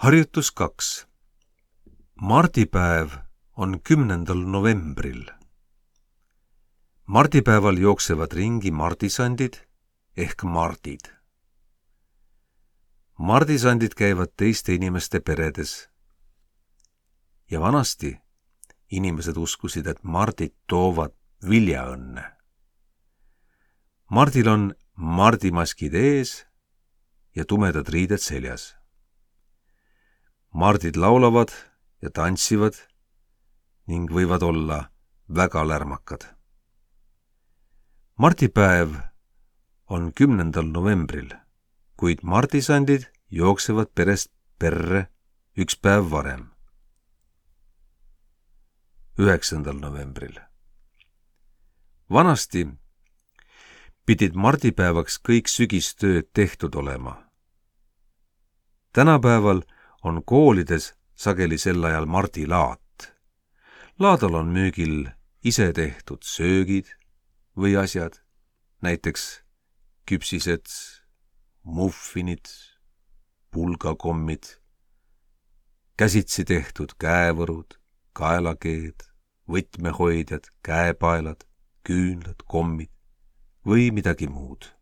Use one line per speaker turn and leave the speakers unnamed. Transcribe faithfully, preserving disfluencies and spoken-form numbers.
Harjutus kaks. Mardipäev on kümnendal novembril. Mardipäeval jooksevad ringi mardisandid ehk mardid. Mardisandid käivad teiste inimeste peredes. Ja vanasti inimesed uskusid, et mardid toovad viljaõnne. Mardil on mardimaskid ees ja tumedad riided seljas. Mardid laulavad ja tantsivad ning võivad olla väga lärmakad. Mardipäev on kümnendal novembril, kuid mardisandid jooksevad perest perre üks päev varem, üheksandal novembril. Vanasti pidid mardipäevaks kõik sügistööd tehtud olema. Tänapäeval on koolides sageli sel ajal mardilaat. Laadal on müügil ise tehtud söögid või asjad, näiteks küpsised, muffinid, pulgakommid, käsitsi tehtud käevõrud, kaelakeed, võtmehoidjad, käepaelad, küünlad, kommid või midagi muud.